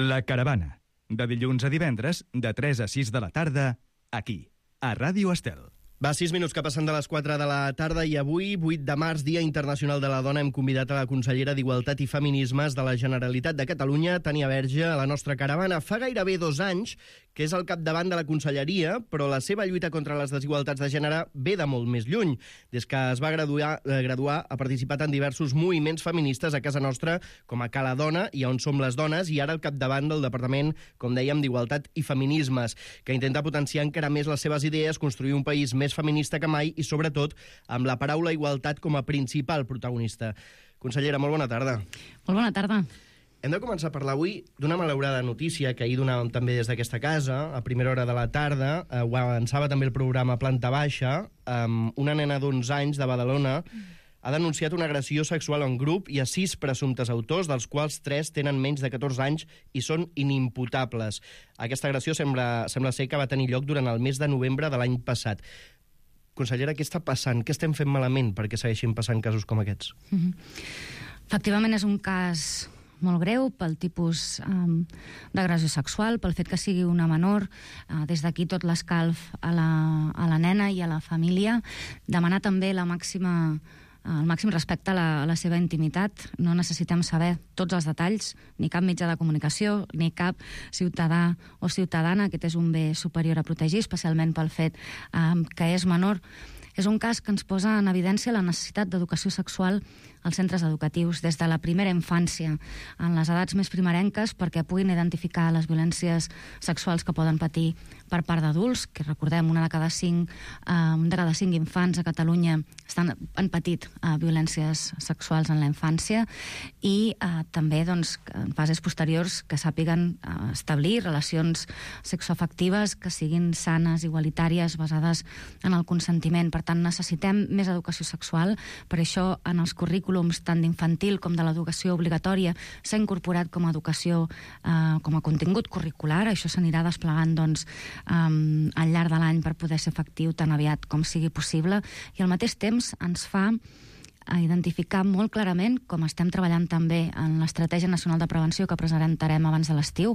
La Caravana, de dilluns a divendres, de 3 a 6 de la tarda, aquí, a Ràdio Estel. Va, 6 minuts que passen de les 4 de la tarda i avui, 8 de març, Dia Internacional de la Dona, hem convidat a la consellera d'Igualtat i Feminismes de la Generalitat de Catalunya, Tània Verge, a la nostra caravana. Fa gairebé 2 anys que és al capdavant de la conselleria, però la seva lluita contra les desigualtats de gènere ve de molt més lluny. Des que es va graduar ha participat en diversos moviments feministes a casa nostra, com a Cala Dona i On Som les Dones, i ara al capdavant del Departament, com dèiem, d'Igualtat i Feminismes, que intenta potenciar encara més les seves idees, construir un país més feminista que mai i, sobretot, amb la paraula igualtat com a principal protagonista. Consellera, molt bona tarda. Molt bona tarda. Hem de començar a parlar avui d'una malaurada notícia que ahir donàvem també des d'aquesta casa, a primera hora de la tarda, ho avançava també el programa Planta Baixa, una nena d'11 anys de Badalona ha denunciat una agressió sexual en grup i a 6 presumptes autors, dels quals 3 tenen menys de 14 anys i són inimputables. Aquesta agressió sembla ser que va tenir lloc durant el mes de novembre de l'any passat. Consellera, què està passant? Què estem fent malament perquè segueixin passant casos com aquests? Efectivament, és un cas molt greu pel tipus d'agressió sexual, pel fet que sigui una menor. Des d'aquí tot l'escalf a la nena i a la família. Demanar també el màxim respecte a la seva intimitat. No necessitem saber tots els detalls, ni cap mitjà de comunicació, ni cap ciutadà o ciutadana. Aquest és un bé superior a protegir, especialment pel fet que és menor. És un cas que ens posa en evidència la necessitat d'educació sexual als centres educatius des de la primera infància, en les edats més primerenques, perquè puguin identificar les violències sexuals que poden patir per part d'adults, que recordem, un de cada 5 infants a Catalunya han patit violències sexuals en la infància, i també en fases posteriors que sàpiguen establir relacions sexoafectives que siguin sanes, igualitàries, basades en el consentiment. Per tant, necessitem més educació sexual. Per això, en els currículums tant d'infantil com de l'educació obligatòria s'ha incorporat com a educació, com a contingut curricular. Això s'anirà desplegant al llarg de l'any per poder ser efectiu tan aviat com sigui possible, i al mateix temps ens fa a identificar molt clarament, com estem treballant també en l'Estratègia Nacional de Prevenció que presentarem abans de l'estiu,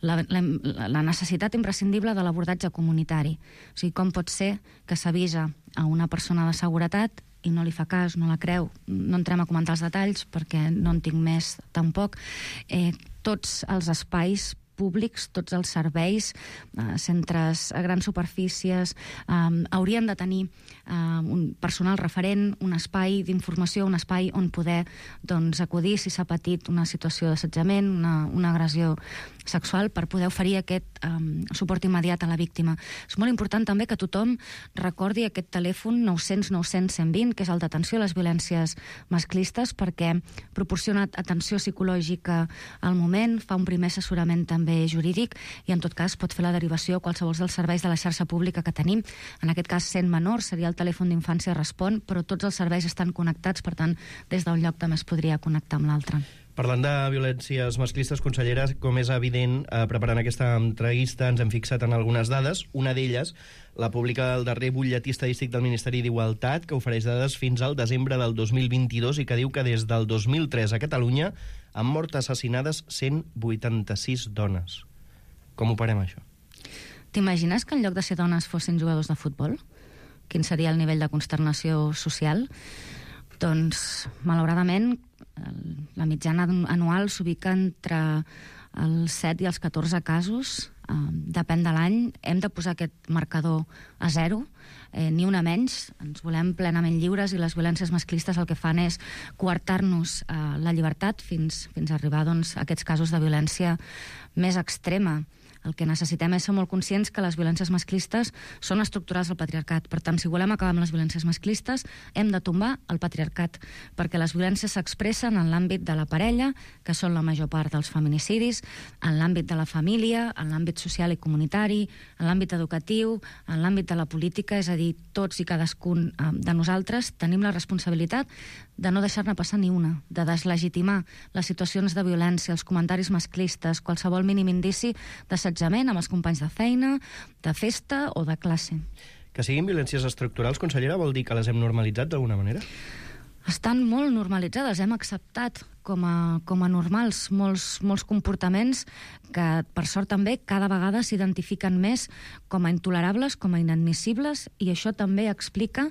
la necessitat imprescindible de l'abordatge comunitari. O sigui, com pot ser que s'avisa a una persona de seguretat i no li fa cas, no la creu. No entrem a comentar els detalls perquè no en tinc més tampoc. Tots els espais públics, tots els serveis, centres a grans superfícies, haurien de tenir un personal referent, un espai d'informació, un espai on poder acudir si s'ha patit una situació d'assetjament, una agressió sexual, per poder oferir aquest suport immediat a la víctima. És molt important també que tothom recordi aquest telèfon 900 900 120, que és el d'atenció a les violències masclistes, perquè proporciona atenció psicològica al moment, fa un primer assessorament també jurídic, i en tot cas pot fer la derivació a qualsevol dels serveis de la xarxa pública que tenim. En aquest cas, sent menor, seria el telèfon d'infància Respon, però tots els serveis estan connectats, per tant, des d'un lloc també es podria connectar amb l'altre. Parlant de violències masclistes, consellera, com és evident, preparant aquesta entrevista ens hem fixat en algunes dades. Una d'elles la publica el darrer butlletí estadístic del Ministeri d'Igualtat, que ofereix dades fins al desembre del 2022 i que diu que des del 2003 a Catalunya han mort assassinades 186 dones. Com ho parem, això? T'imagines que en lloc de ser dones fossin jugadors de futbol? Quin seria el nivell de consternació social? Doncs, malauradament, la mitjana anual s'ubica entre els 7 i els 14 casos. Depèn de l'any. Hem de posar aquest marcador a 0, ni una menys. Ens volem plenament lliures i les violències masclistes el que fan és coartar-nos la llibertat fins a arribar a aquests casos de violència més extrema. El que necessitem és ser molt conscients que les violències masclistes són estructurals del patriarcat. Per tant, si volem acabar amb les violències masclistes, hem de tombar el patriarcat, perquè les violències s'expressen en l'àmbit de la parella, que són la major part dels feminicidis, en l'àmbit de la família, en l'àmbit social i comunitari, en l'àmbit educatiu, en l'àmbit de la política, és a dir, tots i cadascun de nosaltres tenim la responsabilitat de no deixar-ne passar ni una, de deslegitimar les situacions de violència, els comentaris masclistes, qualsevol mínim indici d'assetjament amb els companys de feina, de festa o de classe. Que siguin violències estructurals, consellera, vol dir que les hem normalitzat d'alguna manera? Estan molt normalitzades, hem acceptat com a normals molts comportaments que, per sort també, cada vegada s'identifiquen més com a intolerables, com a inadmissibles, i això també explica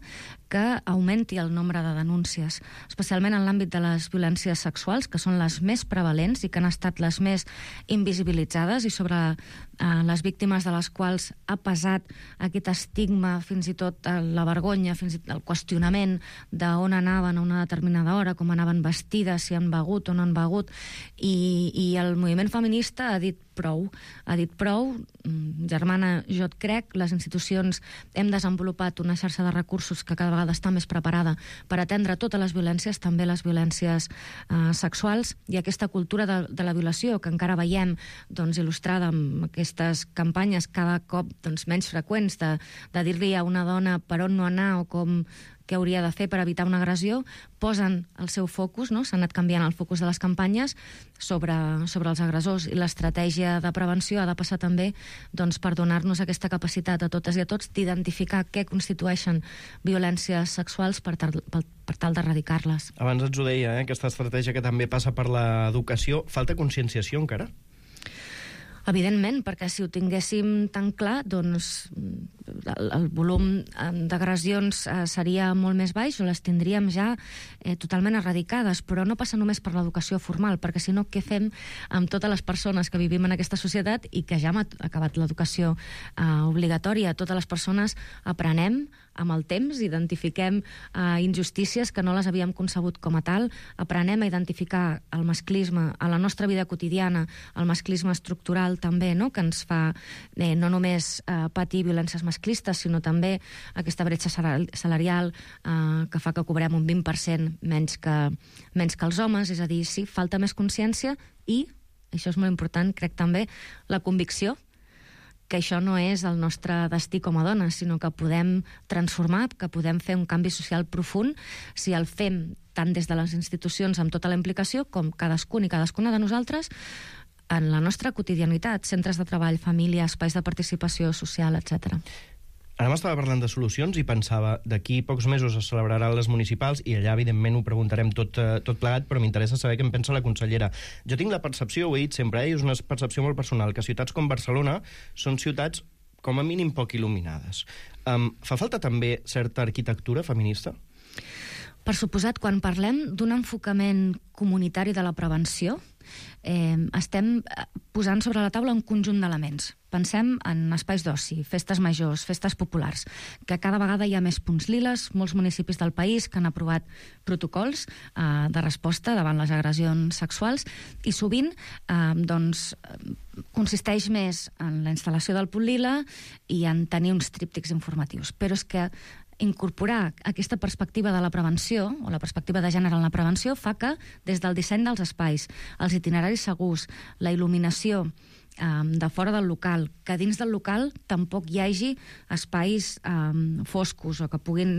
que augmenti el nombre de denúncies, especialment en l'àmbit de les violències sexuals, que són les més prevalents i que han estat les més invisibilitzades, i sobre les víctimes de les quals ha pesat aquest estigma, fins i tot la vergonya, fins i tot el qüestionament d'on anaven a una determinada hora, com anaven vestides, si han begut o no han begut, i el moviment feminista ha dit prou. Germana, jo et crec, les institucions hem desenvolupat una xarxa de recursos que cada vegada està més preparada per atendre totes les violències, també les violències sexuals, i aquesta cultura de la violació que encara veiem il·lustrada amb aquestes campanyes cada cop menys freqüents de dir-li a una dona per on no anar o què hauria de fer per evitar una agressió, posen el seu focus, no? S'ha anat canviant el focus de les campanyes sobre els agressors, i l'estratègia de prevenció ha de passar també per donar-nos aquesta capacitat a totes i a tots d'identificar què constitueixen violències sexuals per tal d'erradicar-les. Abans ens ho deia, aquesta estratègia que també passa per l'educació. Falta conscienciació encara? Evidentment, perquè si ho tinguéssim tan clar, doncs el volum d'agressions seria molt més baix, o les tindríem ja totalment eradicades, però no passa només per l'educació formal, perquè si no, què fem amb totes les persones que vivim en aquesta societat i que ja hem acabat l'educació obligatòria? Totes les persones aprenem amb el temps, identifiquem injustícies que no les havíem concebut com a tal, aprenem a identificar el masclisme a la nostra vida quotidiana, el masclisme estructural també, no?, que ens fa no només patir violències masclistes, sinó també aquesta bretxa salarial que fa que cobrem un 20% menys que els homes. És a dir, sí, falta més consciència i, això és molt important, crec també, la convicció que això no és el nostre destí com a dones, sinó que podem transformar, que podem fer un canvi social profund si el fem tant des de les institucions amb tota la implicació com cadascun i cadascuna de nosaltres en la nostra quotidianitat, centres de treball, família, espais de participació social, etc. Ara m'estava parlant de solucions i pensava, d'aquí pocs mesos es celebraran les municipals i allà, evidentment, ho preguntarem tot plegat, però m'interessa saber què en pensa la consellera. Jo tinc la percepció, ho he dit sempre, i és una percepció molt personal, que ciutats com Barcelona són ciutats com a mínim poc il·luminades. Fa falta també certa arquitectura feminista? Per suposat, quan parlem d'un enfocament comunitari de la prevenció, estem posant sobre la taula un conjunt d'elements. Pensem en espais d'oci, festes majors, festes populars, que cada vegada hi ha més punts liles, molts municipis del país que han aprovat protocols de resposta davant les agressions sexuals, i sovint consisteix més en la instal·lació del punt lila i en tenir uns tríptics informatius. Però és que incorporar aquesta perspectiva de la prevenció, o la perspectiva de gènere en la prevenció, fa que, des del disseny dels espais, els itineraris segurs, la il·luminació de fora del local, que dins del local tampoc hi hagi espais foscos o que puguin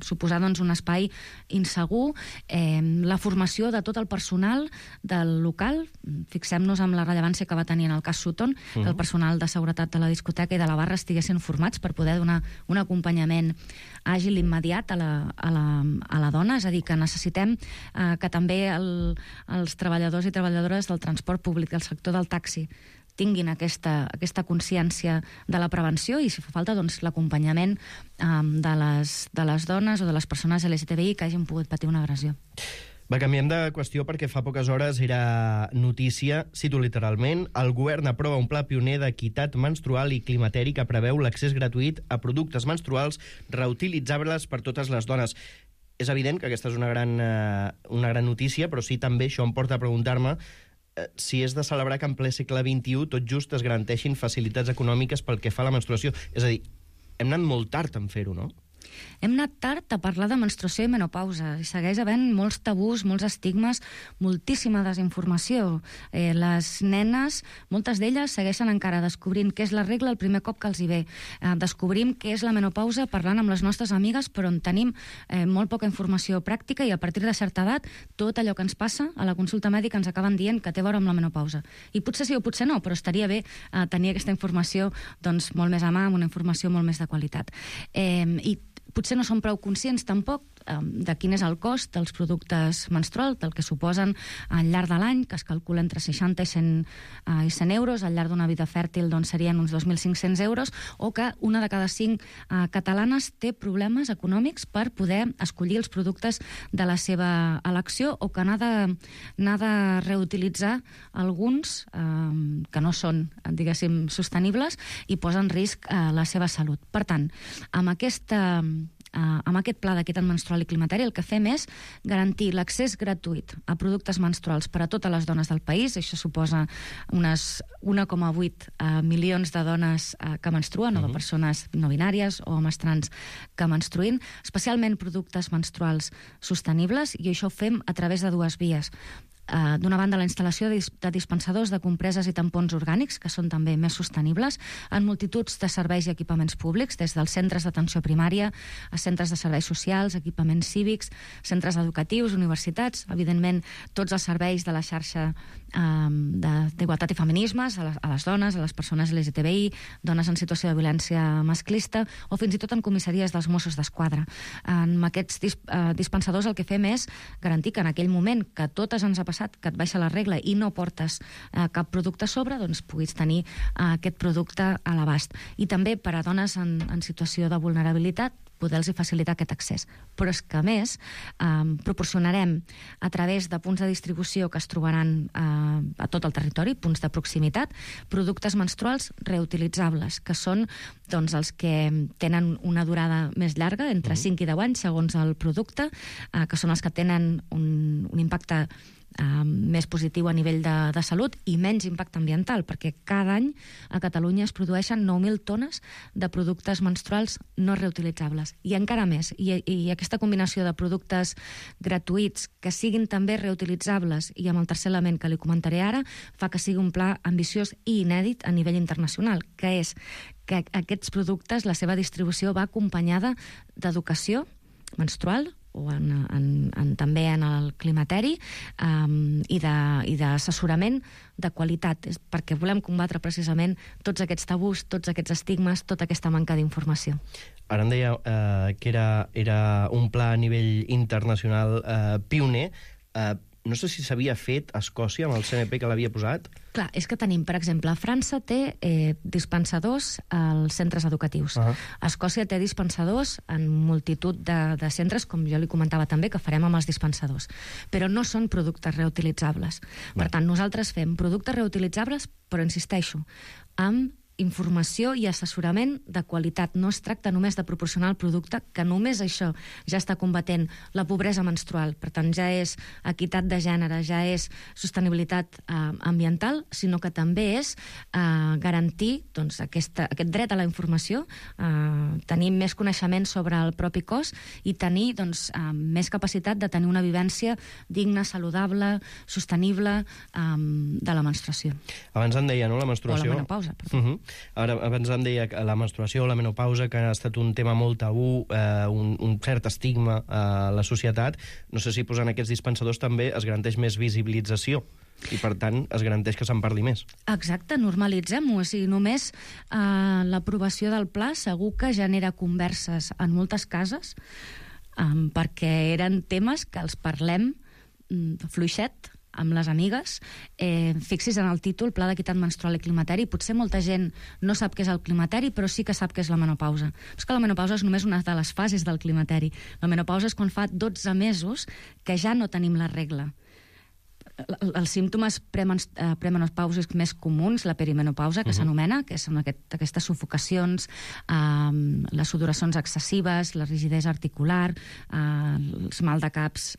suposar un espai insegur, la formació de tot el personal del local. Fixem-nos en la rellevància que va tenir en el cas Sutton, que el personal de seguretat de la discoteca i de la barra estiguessin formats per poder donar un acompanyament àgil i immediat a la dona. És a dir, que necessitem que també els treballadors i treballadores del transport públic, del sector del taxi, tinguin aquesta consciència de la prevenció i, si fa falta, l'acompanyament de les dones o de les persones LGTBI que hagin pogut patir una agressió. Va, canviem de qüestió perquè fa poques hores era notícia, cito literalment, el govern aprova un pla pioner d'equitat menstrual i climateri que preveu l'accés gratuït a productes menstruals reutilitzables per totes les dones. És evident que aquesta és una gran notícia, però sí també això em porta a preguntar-me si és de celebrar que en ple segle XXI tot just es garanteixin facilitats econòmiques pel que fa a la menstruació. És a dir, hem anat molt tard en fer-ho, no? Hem anat tard a parlar de menstruació i menopausa. I segueix havent molts tabús, molts estigmes, moltíssima desinformació. Les nenes, moltes d'elles, segueixen encara descobrint què és la regla el primer cop que els hi ve. Descobrim què és la menopausa parlant amb les nostres amigues, però on tenim molt poca informació pràctica, i a partir de certa edat tot allò que ens passa a la consulta mèdica ens acaben dient que té a veure amb la menopausa. I potser sí o potser no, però estaria bé tenir aquesta informació molt més a mà, amb una informació molt més de qualitat. I potser no som prou conscients tampoc de quin és el cost dels productes menstruals, del que suposen al llarg de l'any, que es calcula entre 60 i 100 euros, al llarg d'una vida fèrtil doncs, serien uns 2.500 euros, o que una de cada 5 catalanes té problemes econòmics per poder escollir els productes de la seva elecció, o que n'ha de reutilitzar alguns que no són, diguéssim, sostenibles i posen en risc la seva salut. Per tant, amb aquest pla d'equitat menstrual i climateri el que fem és garantir l'accés gratuït a productes menstruals per a totes les dones del país. Això suposa unes 1,8 milions de dones que menstruen, o de persones no binàries o homes trans que menstruïn, especialment productes menstruals sostenibles, i això ho fem a través de dues vies. D'una banda, la instal·lació de dispensadors de compreses i tampons orgànics, que són també més sostenibles, en multituds de serveis i equipaments públics, des dels centres d'atenció primària a centres de serveis socials, equipaments cívics, centres educatius, universitats, evidentment tots els serveis de la xarxa d'igualtat i feminismes, a les dones, a les persones LGTBI, dones en situació de violència masclista, o fins i tot en comissaries dels Mossos d'Esquadra. En aquests dispensadors el que fem és garantir que en aquell moment que totes ens ha passat, que et baixa la regla i no portes cap producte a sobre, doncs puguis tenir aquest producte a l'abast. I també per a dones en situació de vulnerabilitat, poder-los facilitar aquest accés. Però és que, a més, proporcionarem a través de punts de distribució que es trobaran a tot el territori, punts de proximitat, productes menstruals reutilitzables, que són doncs, els que tenen una durada més llarga, entre 5 i 10 anys, segons el producte, que són els que tenen un impacte més positiu a nivell de salut i menys impacte ambiental, perquè cada any a Catalunya es produeixen 9.000 tones de productes menstruals no reutilitzables. I encara més, i aquesta combinació de productes gratuïts que siguin també reutilitzables i amb el tercer element que li comentaré ara, fa que sigui un pla ambiciós i inèdit a nivell internacional, que és que aquests productes, la seva distribució va acompanyada d'educació menstrual, o també en el climateri, i d'assessorament de qualitat, perquè volem combatre precisament tots aquests tabús, tots aquests estigmes, tota aquesta manca d'informació. Ara em deia que era un pla a nivell internacional pioner. No sé si s'havia fet a Escòcia amb el CNP que l'havia posat. Clar, és que tenim, per exemple, França té dispensadors als centres educatius. Escòcia té dispensadors en multitud de centres, com jo li comentava també, que farem amb els dispensadors. Però no són productes reutilitzables. Per tant, nosaltres fem productes reutilitzables, però insisteixo, amb informació i assessorament de qualitat. No es tracta només de proporcionar el producte, que només això ja està combatent la pobresa menstrual. Per tant, ja és equitat de gènere, ja és sostenibilitat ambiental, sinó que també és garantir doncs, aquest dret a la informació, tenir més coneixement sobre el propi cos i tenir doncs, més capacitat de tenir una vivència digna, saludable, sostenible de la menstruació. Abans em deia, no?, la menstruació... O la menopausa, perdó. Ara, abans em deia que la menstruació o la menopausa, que ha estat un tema molt tabú, un cert estigma a la societat. No sé si posant aquests dispensadors també es garanteix més visibilització i, per tant, es garanteix que se'n parli més. Exacte, normalitzem-ho. O sigui, només l'aprovació del pla segur que genera converses en moltes cases, perquè eren temes que els parlem fluixet, amb les amigues. Fixis en el títol, Pla d'Equitat Menstrual i Climateri. Potser molta gent no sap què és el climateri, però sí que sap què és la menopausa. És que la menopausa és només una de les fases del climateri. La menopausa és quan fa 12 mesos que ja no tenim la regla. Els símptomes premenopàusics més comuns, la perimenopausa, que s'anomena, que són aquestes sufocacions, les sudoracions excessives, la rigidesa articular, els mal de caps,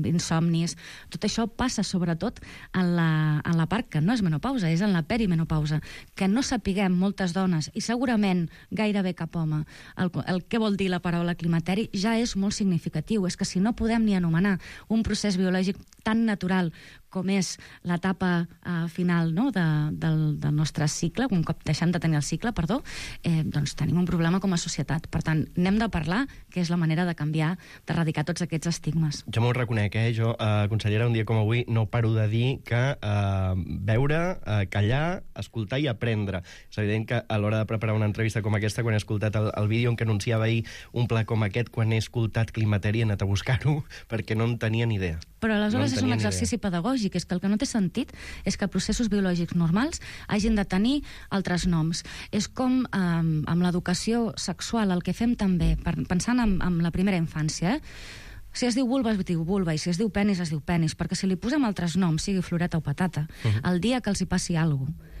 insomnis. Tot això passa sobretot en la part que no és menopausa, és en la perimenopausa. Que no sapiguem moltes dones, i segurament gairebé cap home, el que vol dir la paraula climateri ja és molt significatiu. És que si no podem ni anomenar un procés biològic tan natural com és l'etapa final, no?, del nostre cicle, un cop deixem de tenir el cicle, doncs tenim un problema com a societat. Per tant, n'hem de parlar, que és la manera de canviar, d'erradicar tots aquests estigmes. Jo m'ho reconec, jo, consellera, un dia com avui no paro de dir que veure, callar, escoltar i aprendre. És evident que a l'hora de preparar una entrevista com aquesta, quan he escoltat el vídeo en què anunciava ahir un pla com aquest, quan he escoltat Climateri, he anat a buscar-ho, perquè no en tenia ni idea. Però aleshores és un exercici pedagògic, és que el que no té sentit és que processos biològics normals hagin de tenir altres noms. És com amb l'educació sexual, el que fem també, pensant en la primera infància, si es diu vulva, es diu vulva, i si es diu penis, es diu penis, perquè si li posem altres noms, sigui floreta o patata, el dia que els hi passi alguna cosa,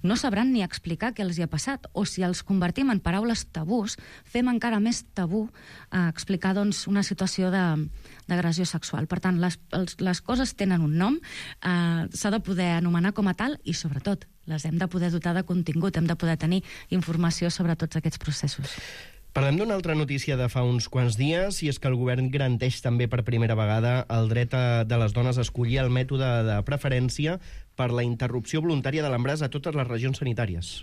no sabran ni explicar què els hi ha passat, o si els convertim en paraules tabús, fem encara més tabú explicar doncs, una situació d'agressió sexual. Per tant, les coses tenen un nom, s'ha de poder anomenar com a tal i, sobretot, les hem de poder dotar de contingut, hem de poder tenir informació sobre tots aquests processos. Parlem d'una altra notícia de fa uns quants dies, i és que el govern garanteix també per primera vegada el dret de les dones a escollir el mètode de preferència per la interrupció voluntària de l'embaràs a totes les regions sanitàries.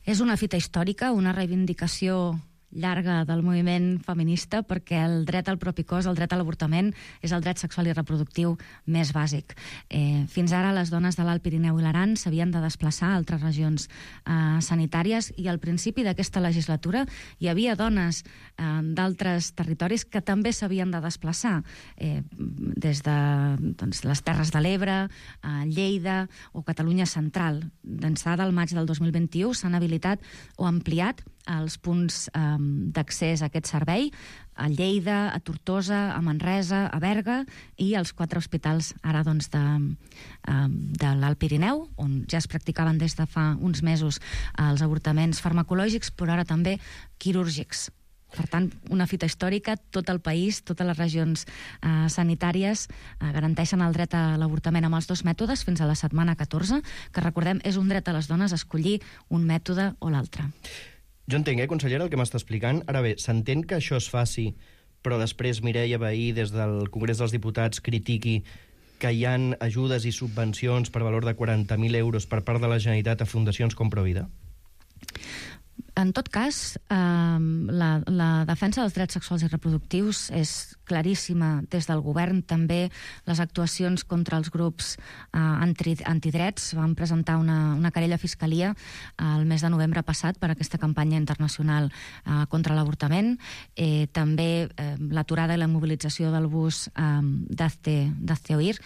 És una fita històrica, una reivindicació llarga del moviment feminista, perquè el dret al propi cos, el dret a l'avortament, és el dret sexual i reproductiu més bàsic. Fins ara les dones de l'Alt Pirineu i l'Aran s'havien de desplaçar a altres regions sanitàries, i al principi d'aquesta legislatura hi havia dones d'altres territoris que també s'havien de desplaçar, des de les Terres de l'Ebre, Lleida o Catalunya Central. D'ençà del maig del 2021 s'han habilitat o ampliat els punts d'accés a aquest servei a Lleida, a Tortosa, a Manresa, a Berga i als 4 hospitals ara doncs de l'Alt Pirineu, on ja es practicaven des de fa uns mesos els avortaments farmacològics, però ara també quirúrgics. Per tant, una fita històrica, tot el país, totes les regions sanitàries garanteixen el dret a l'avortament amb els 2 mètodes fins a la setmana 14, que recordem és un dret a les dones a escollir un mètode o l'altre. Jo entenc, consellera, el que m'està explicant. Ara bé, s'entén que això es faci, però després Mireia Vehí, des del Congrés dels Diputats, critiqui que hi ha ajudes i subvencions per valor de 40.000 euros per part de la Generalitat a fundacions com Provida? En tot cas, la defensa dels drets sexuals i reproductius és claríssima des del govern. També les actuacions contra els grups antidrets. Vam presentar una querella a Fiscalia el mes de novembre passat per aquesta campanya internacional contra l'avortament. També l'aturada i la mobilització del bus d'Hazte Oír.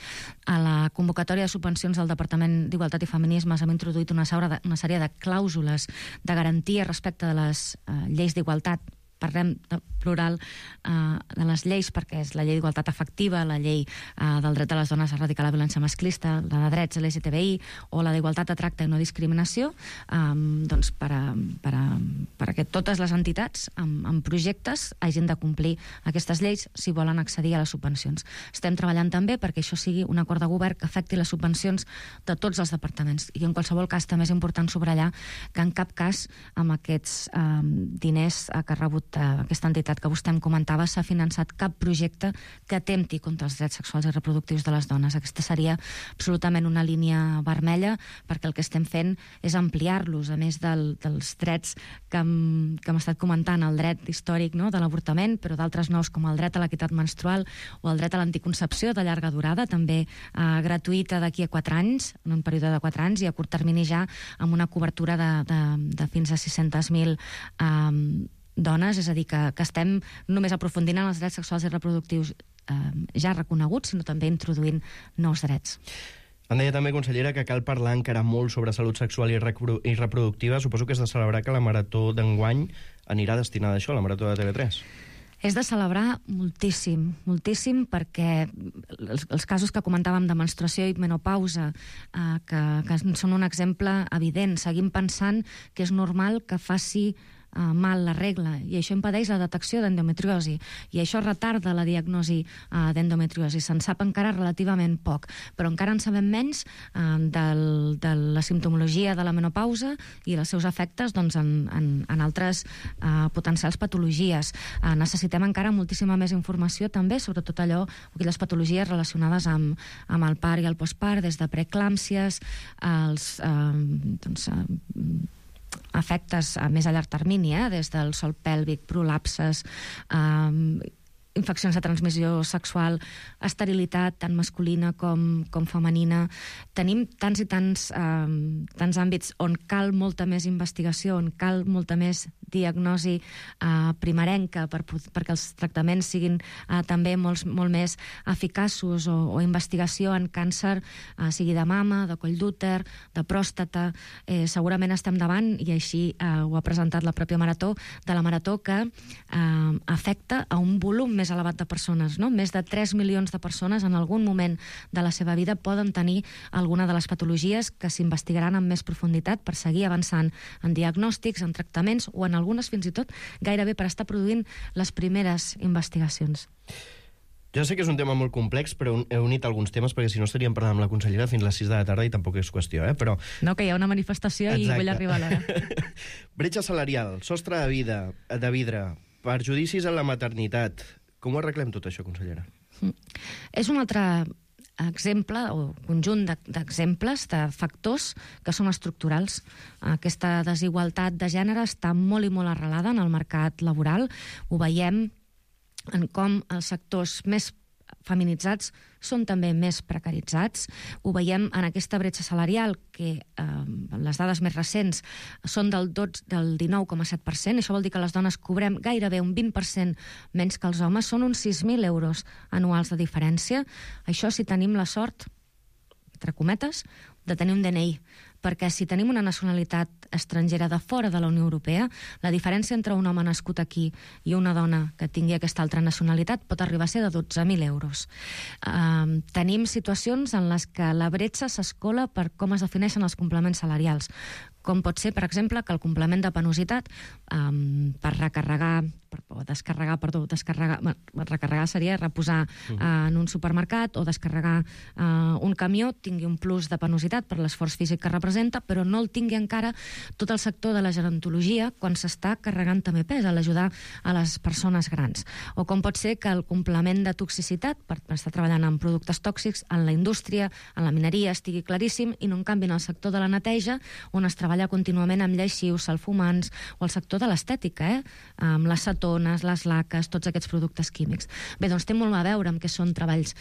A la convocatòria de subvencions del Departament d'Igualtat i Feminismes hem introduït una sèrie de clàusules de garantia respecte de les lleis d'igualtat. Parlem de plural de les lleis, perquè és la llei d'igualtat efectiva, la llei del dret de les dones a erradicar la violència masclista, la de drets LGTBI o la d'igualtat de tracte i no discriminació, doncs perquè totes les entitats amb projectes hagin de complir aquestes lleis si volen accedir a les subvencions. Estem treballant també perquè això sigui un acord de govern que afecti les subvencions de tots els departaments, i en qualsevol cas també és important subratllar que en cap cas amb aquests diners que ha rebut aquesta entitat que vostè em comentava s'ha finançat cap projecte que atempti contra els drets sexuals i reproductius de les dones. Aquesta seria absolutament una línia vermella, perquè el que estem fent és ampliar-los, a més dels drets que hem estat comentant, el dret històric de l'avortament, però d'altres nous com el dret a l'equitat menstrual o el dret a l'anticoncepció de llarga durada, també gratuïta d'aquí a 4 anys, en un període de 4 anys, i a curt termini ja amb una cobertura de fins a 600.000 dones, és a dir, que estem només aprofundint en els drets sexuals i reproductius ja reconeguts, sinó també introduint nous drets. Em deia també, consellera, que cal parlar encara molt sobre salut sexual i reproductiva. Suposo que és de celebrar que la marató d'enguany anirà destinada a això, la marató de TV3. És de celebrar moltíssim, moltíssim, perquè els casos que comentàvem de menstruació i menopausa, que són un exemple evident, seguim pensant que és normal que faci mal la regla, i això impedeix la detecció d'endometriosi, i això retarda la diagnosi d'endometriosi. Se'n sap encara relativament poc, però encara en sabem menys de la simptomologia de la menopausa i els seus efectes en altres potencials patologies. Necessitem encara moltíssima més informació també sobre tot allò, aquelles patologies relacionades amb el part i el postpart, des de preeclàmsies, els efectes a més a llarg termini, des del sòl pèlvic, prolapses, infeccions de transmissió sexual, esterilitat, tant masculina com femenina. Tenim tants i tants àmbits on cal molta més investigació, on cal molta més diagnosi primerenca perquè els tractaments siguin també molt més eficaços, o investigació en càncer, sigui de mama, de coll d'úter, de pròstata. Segurament estem davant, i així ho ha presentat la pròpia Marató, de la Marató que afecta a un volum més elevat de persones, no? Més de 3 milions de persones en algun moment de la seva vida poden tenir alguna de les patologies que s'investigaran amb més profunditat per seguir avançant en diagnòstics, en tractaments, o en algunes fins i tot gairebé per estar produint les primeres investigacions. Ja sé que és un tema molt complex, però he unit alguns temes perquè si no estaríem parlant amb la consellera fins les 6 de la tarda i tampoc és qüestió, però... No, que hi ha una manifestació. Exacte. I vull arribar a l'hora. Bretxa salarial, sostre de vidre, perjudicis en la maternitat. Com ho arreglem tot això, consellera? És un altre exemple o conjunt d'exemples, de factors que són estructurals. Aquesta desigualtat de gènere està molt i molt arrelada en el mercat laboral. Ho veiem en com els sectors més feminitzats són també més precaritzats. Ho veiem en aquesta bretxa salarial, que les dades més recents són del 19,7%. Això vol dir que les dones cobrem gairebé un 20% menys que els homes. Són uns 6.000 euros anuals de diferència. Això si tenim la sort, entre cometes, de tenir un DNI, perquè si tenim una nacionalitat estrangera de fora de la Unió Europea, la diferència entre un home nascut aquí i una dona que tingui aquesta altra nacionalitat pot arribar a ser de 12.000 euros. Tenim situacions en les que la bretxa s'escola per com es defineixen els complements salarials, com pot ser, per exemple, que el complement de penositat per recarregar, o descarregar, perdó, recarregar seria reposar en un supermercat o descarregar un camió, tingui un plus de penositat per l'esforç físic que representa, però no el tingui encara tot el sector de la gerontologia quan s'està carregant també pes a l'ajudar a les persones grans. O com pot ser que el complement de toxicitat, per estar treballant en productes tòxics, en la indústria, en la mineria, estigui claríssim, i no en canvi en el sector de la neteja, on es treballa contínuament amb lleixius, salfumants, o el sector de l'estètica, amb les cetones, les laques, tots aquests productes químics. Bé, doncs té molt a veure amb què són treballs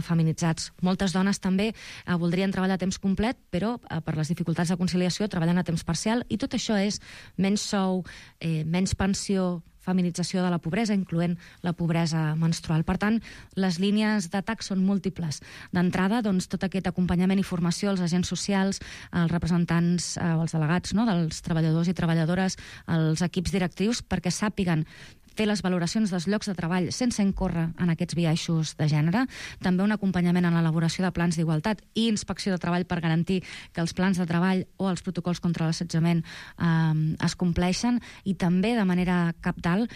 feminitzats. Moltes dones també voldrien treballar a temps complet, però per les dificultats de conciliació treballen a temps parcial, i tot això és menys sou, menys pensió, feminització de la pobresa, incloent la pobresa menstrual. Per tant, les línies d'atac són múltiples. D'entrada, doncs, tot aquest acompanyament i formació als agents socials, als representants o als delegats, no?, dels treballadors i treballadores, als equips directius, perquè sàpiguen fer les valoracions dels llocs de treball sense incórrer en aquests biaixos de gènere. També un acompanyament en l'elaboració de plans d'igualtat i inspecció de treball per garantir que els plans de treball o els protocols contra l'assetjament es compleixen, i també de manera cabdal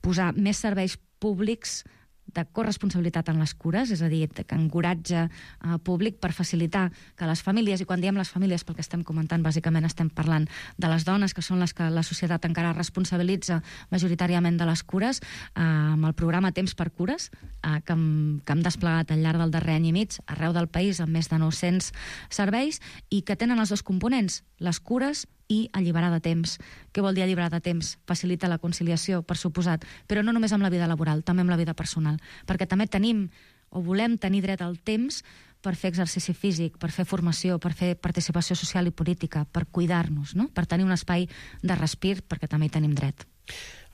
posar més serveis públics de corresponsabilitat en les cures, és a dir, que encoratge públic per facilitar que les famílies, i quan diem les famílies pel que estem comentant, bàsicament estem parlant de les dones, que són les que la societat encara responsabilitza majoritàriament de les cures, amb el programa Temps per Cures, que hem desplegat al llarg del darrer any i mig arreu del país amb més de 900 serveis, i que tenen els dos components, les cures i alliberar de temps. Què vol dir alliberar de temps? Facilita la conciliació, per suposat, però no només amb la vida laboral, també amb la vida personal, perquè també tenim o volem tenir dret al temps per fer exercici físic, per fer formació, per fer participació social i política, per cuidar-nos, no?, per tenir un espai de respir, perquè també hi tenim dret.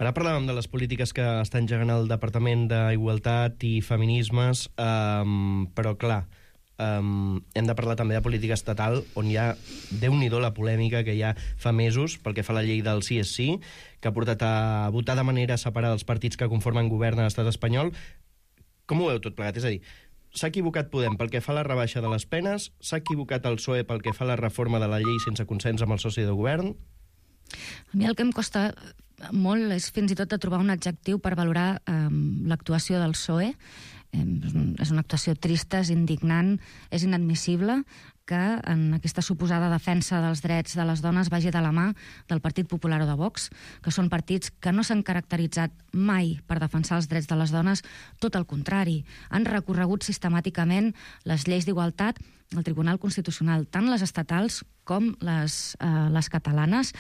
Ara parlàvem de les polítiques que està engegant el Departament d'Igualtat i Feminismes, però clar, hem de parlar també de política estatal, on hi ha, déu-n'hi-do la polèmica que hi ha fa mesos pel que fa a la llei del sí és sí, que ha portat a votar de manera separada els partits que conformen govern a l'estat espanyol. Com ho veu tot plegat? És a dir, s'ha equivocat Podem pel que fa a la rebaixa de les penes, s'ha equivocat el PSOE pel que fa a la reforma de la llei sense consens amb el soci de govern? A mi el que em costa molt és fins i tot de trobar un adjectiu per valorar l'actuació del PSOE. És una actuació trista, és indignant, és inadmissible que en aquesta suposada defensa dels drets de les dones vagi de la mà del Partit Popular o de Vox, que són partits que no s'han caracteritzat mai per defensar els drets de les dones, tot el contrari. Han recorregut sistemàticament les lleis d'igualtat al Tribunal Constitucional, tant les estatals com les catalanes,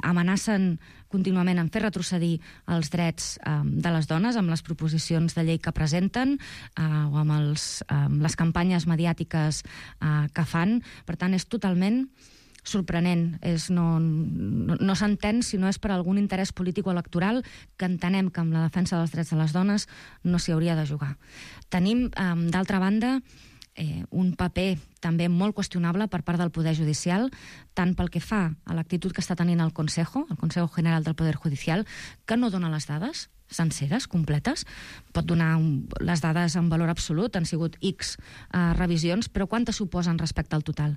amenacen contínuament en fer retrocedir els drets de les dones amb les proposicions de llei que presenten o amb les campanyes mediàtiques que fan. Per tant, és totalment sorprenent. No s'entén si no és per algun interès polític o electoral, que entenem que amb la defensa dels drets de les dones no s'hi hauria de jugar. Tenim, d'altra banda, un paper també molt qüestionable per part del Poder Judicial, tant pel que fa a l'actitud que està tenint el Consejo General del Poder Judicial, que no dona les dades senceres, completes. Pot donar les dades en valor absolut, han sigut X revisions, però quantes suposen respecte al total?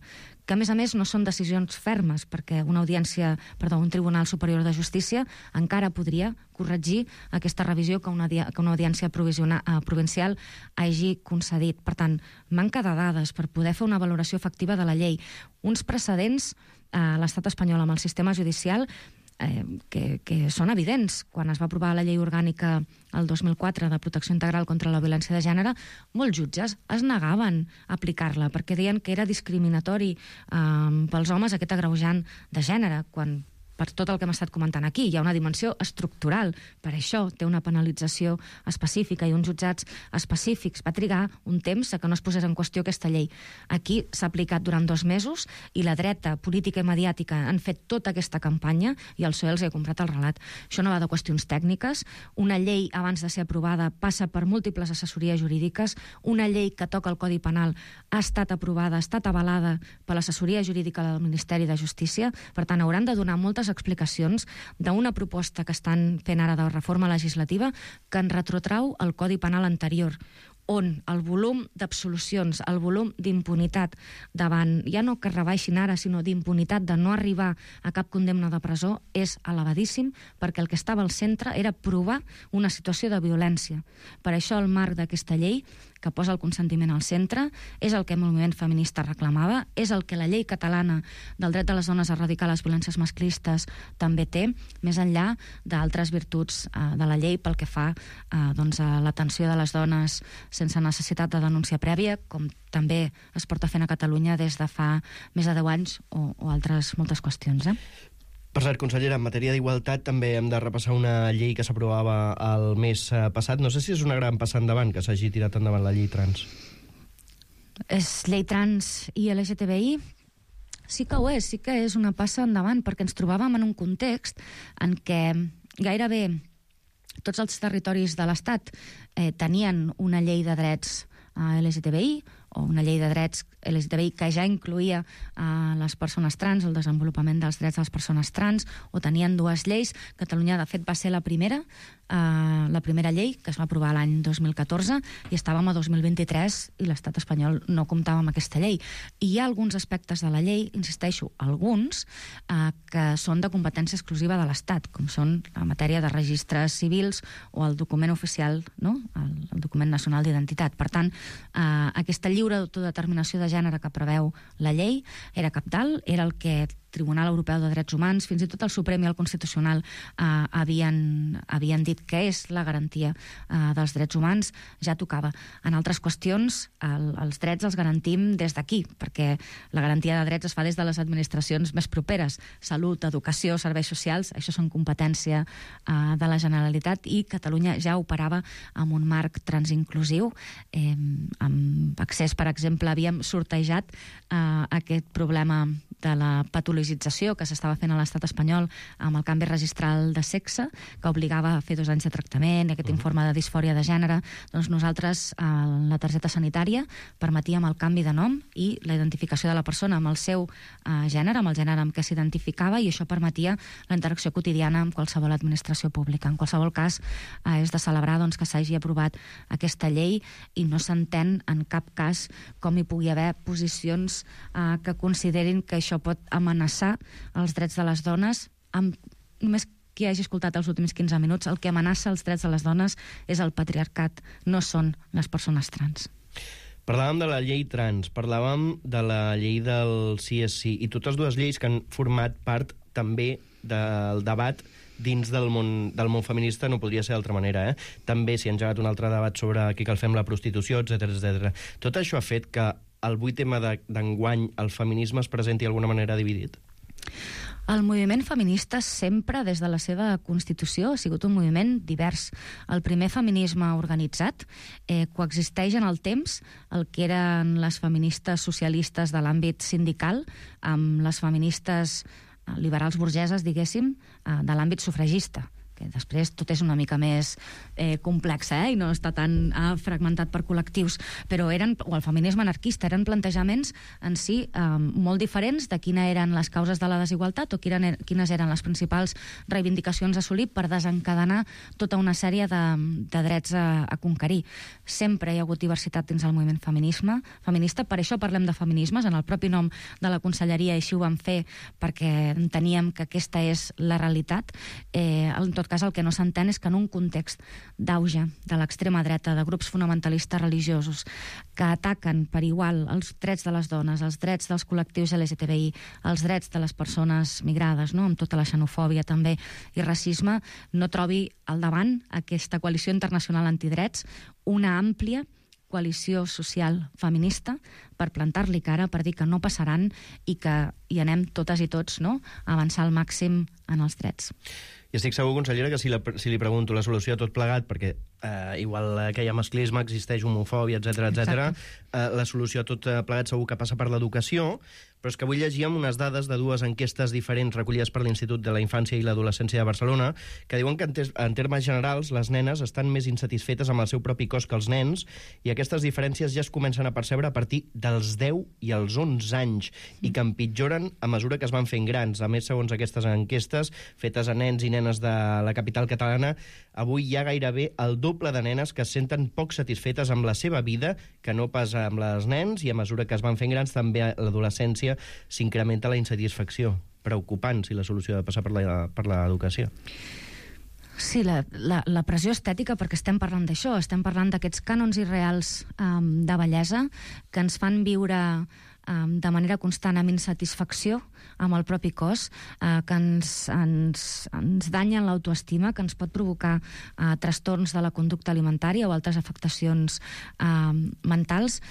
Que, a més, no són decisions fermes, perquè un Tribunal Superior de Justícia encara podria corregir aquesta revisió que una audiència provincial hagi concedit. Per tant, manca de dades per poder fer una valoració efectiva de la llei. Uns precedents a l'estat espanyol amb el sistema judicial que són evidents. Quan es va aprovar la llei orgànica el 2004 de protecció integral contra la violència de gènere, molts jutges es negaven a aplicar-la perquè deien que era discriminatori pels homes aquest agreujant de gènere, quan per tot el que hem estat comentant aquí. Hi ha una dimensió estructural. Per això té una penalització específica i uns jutjats específics. Va trigar un temps que no es posés en qüestió aquesta llei. Aquí s'ha aplicat durant 2 mesos i la dreta política i mediàtica han fet tota aquesta campanya i el PSOE els ha comprat el relat. Això no va de qüestions tècniques. Una llei, abans de ser aprovada, passa per múltiples assessories jurídiques. Una llei que toca el Codi Penal ha estat aprovada, ha estat avalada per l'assessoria jurídica del Ministeri de Justícia. Per tant, hauran de donar moltes explicacions d'una proposta que estan fent ara de reforma legislativa que en retrotrau el Codi Penal anterior, on el volum d'absolucions, el volum d'impunitat davant, ja no que rebaixin ara, sinó d'impunitat de no arribar a cap condemna de presó, és elevadíssim, perquè el que estava al centre era provar una situació de violència. Per això el marc d'aquesta llei, que posa el consentiment al centre, és el que el moviment feminista reclamava, és el que la llei catalana del dret de les dones a erradicar les violències masclistes també té, més enllà d'altres virtuts de la llei pel que fa a l'atenció de les dones sense necessitat de denúncia prèvia, com també es porta fent a Catalunya des de fa més de 10 anys o altres moltes qüestions. Per cert, consellera, en matèria d'igualtat també hem de repassar una llei que s'aprovava el mes passat. No sé si és una gran passa endavant que s'hagi tirat endavant la llei trans. És llei trans i LGTBI? Sí que ho és, sí que és una passa endavant, perquè ens trobàvem en un context en què gairebé tots els territoris de l'Estat tenien una llei de drets LGTBI o una llei de drets LGTBI que ja incloïa les persones trans, el desenvolupament dels drets de les persones trans, o tenien 2 lleis. Catalunya, de fet, va ser la primera llei que es va aprovar l'any 2014 i estàvem a 2023 i l'estat espanyol no comptava amb aquesta llei. I hi ha alguns aspectes de la llei, insisteixo, alguns, que són de competència exclusiva de l'Estat, com són la matèria de registres civils o el document oficial, no? El document nacional d'identitat. Per tant, aquesta lliure autodeterminació de gènere que preveu la llei era cabdal, era el que el Tribunal Europeu de Drets Humans, fins i tot el Suprem i el Constitucional havien dit que és la garantia dels drets humans, ja tocava. En altres qüestions, els drets els garantim des d'aquí, perquè la garantia de drets es fa des de les administracions més properes. Salut, educació, serveis socials, això són competència de la Generalitat, i Catalunya ja operava amb un marc transinclusiu. Amb accés, per exemple, havíem sortejat aquest problema de la patologització que s'estava fent a l'estat espanyol amb el canvi registral de sexe, que obligava a fer 2 anys de tractament i aquest informe de disfòria de gènere. Doncs nosaltres, la targeta sanitària, permetíem el canvi de nom i la identificació de la persona amb el seu gènere, amb el gènere amb què s'identificava, i això permetia la interacció quotidiana amb qualsevol administració pública. En qualsevol cas, és de celebrar que s'hagi aprovat aquesta llei i no s'entén en cap cas com hi pugui haver posicions que considerin que això pot amenaçar els drets de les dones. Només qui hagi escoltat els últims 15 minuts, el que amenaça els drets de les dones és el patriarcat, no són les persones trans. Parlàvem de la llei trans, parlàvem de la llei del sí és sí, i totes dues lleis que han format part també del debat dins del món feminista, no podria ser d'altra manera, També s'hi ha engegat un altre debat sobre què cal fer amb la prostitució, etc. Tot això ha fet que el 8 tema d'enguany el feminisme es presenti d'alguna manera dividit? El moviment feminista sempre, des de la seva constitució, ha sigut un moviment divers. El primer feminisme organitzat coexisteix en el temps el que eren les feministes socialistes de l'àmbit sindical amb les feministes liberals burgeses, diguéssim, de l'àmbit sufragista, que després tot és una mica més complex, i no està tan fragmentat per col·lectius, però o el feminisme anarquista, eren plantejaments en si molt diferents de quines eren les causes de la desigualtat o quines eren les principals reivindicacions a assolir per desencadenar tota una sèrie de drets a conquerir. Sempre hi ha hagut diversitat dins el moviment feminista, per això parlem de feminismes, en el propi nom de la conselleria, i així ho vam fer perquè enteníem que aquesta és la realitat. En tot cas, el que no s'entén és que en un context d'auge de l'extrema dreta, de grups fonamentalistes religiosos que ataquen per igual els drets de les dones, els drets dels col·lectius LGTBI, els drets de les persones migrades, amb tota la xenofòbia també i racisme, no trobi al davant aquesta coalició internacional antidrets una àmplia coalició social feminista per plantar-li cara, per dir que no passaran i que hi anem totes i tots a avançar al màxim en els drets. I estic segur, consellera, que si li pregunto la solució a tot plegat, perquè igual que hi ha masclisme, existeix homofòbia, etc. La solució a tot plegat segur que passa per l'educació, però és que avui llegíem unes dades de dues enquestes diferents recollides per l'Institut de la Infància i l'Adolescència de Barcelona, que diuen que en termes generals les nenes estan més insatisfetes amb el seu propi cos que els nens, i aquestes diferències ja es comencen a percebre a partir dels 10 i els 11 anys, i que empitjoren a mesura que es van fent grans. A més, segons aquestes enquestes fetes a nens i nenes de la capital catalana, avui hi ha gairebé el doble de nenes que es senten poc satisfetes amb la seva vida que no pas amb les nens, i a mesura que es van fent grans també a l'adolescència s'incrementa la insatisfacció. Preocupant si la solució ha de passar per l'educació. Sí, la pressió estètica, perquè estem parlant d'això, estem parlant d'aquests cànons irreals de bellesa que ens fan viure de manera constant amb insatisfacció amb el propi cos, que ens danyen l'autoestima, que ens pot provocar trastorns de la conducta alimentària o altres afectacions mentals.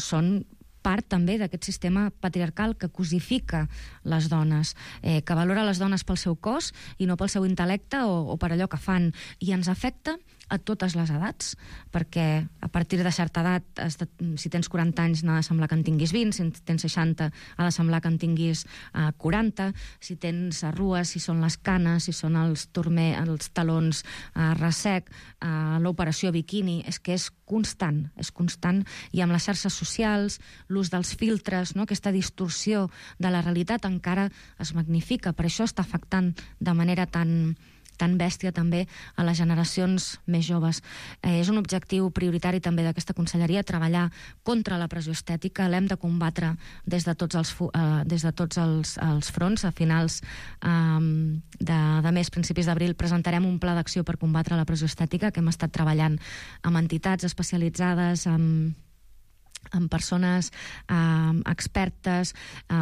Són part també d'aquest sistema patriarcal que cosifica les dones, que valora les dones pel seu cos i no pel seu intel·lecte o per allò que fan, i ens afecta a totes les edats, perquè a partir de certa edat, si tens 40 anys n'ha de semblar que en tinguis 20, si tens 60 ha de semblar que en tinguis 40, si tens arrues, si són les canes, si són els talons ressec, l'operació biquini, és que és constant, i amb les xarxes socials, l'ús dels filtres, aquesta distorsió de la realitat encara es magnifica. Per això està afectant de manera tan bèstia també a les generacions més joves. És un objectiu prioritari també d'aquesta conselleria treballar contra la pressió estètica. L'hem de combatre des de tots els fronts. A finals de mes, principis d'abril, presentarem un pla d'acció per combatre la pressió estètica que hem estat treballant amb entitats especialitzades, amb persones expertes,